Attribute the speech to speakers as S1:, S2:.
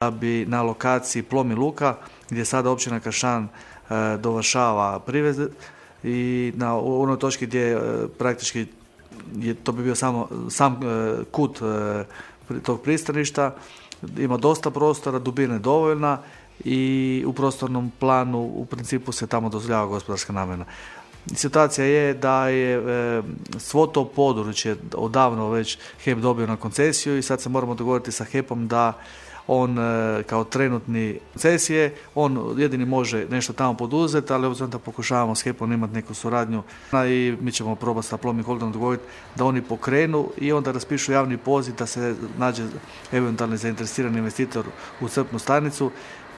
S1: da bi na lokaciji Plomin Luka, gdje sada općina Kršan dovršava priveze i na onoj točki gdje praktički to bi bio sam kut tog pristaništa, ima dosta prostora, dubina je dovoljna i u prostornom planu u principu se tamo dozvoljava gospodarska namjena. Situacija je da je svo to područje odavno već HEP dobio na koncesiju i sad se moramo dogovoriti sa HEP-om da on kao trenutni koncesije, on jedini može nešto tamo poduzeti, ali obzirom da pokušavamo s HEP-om imati neku suradnju i mi ćemo probati sa Plomin Holdingom dogovoriti da oni pokrenu i onda raspišu javni poziv da se nađe eventualni zainteresirani investitor u crpnu stanicu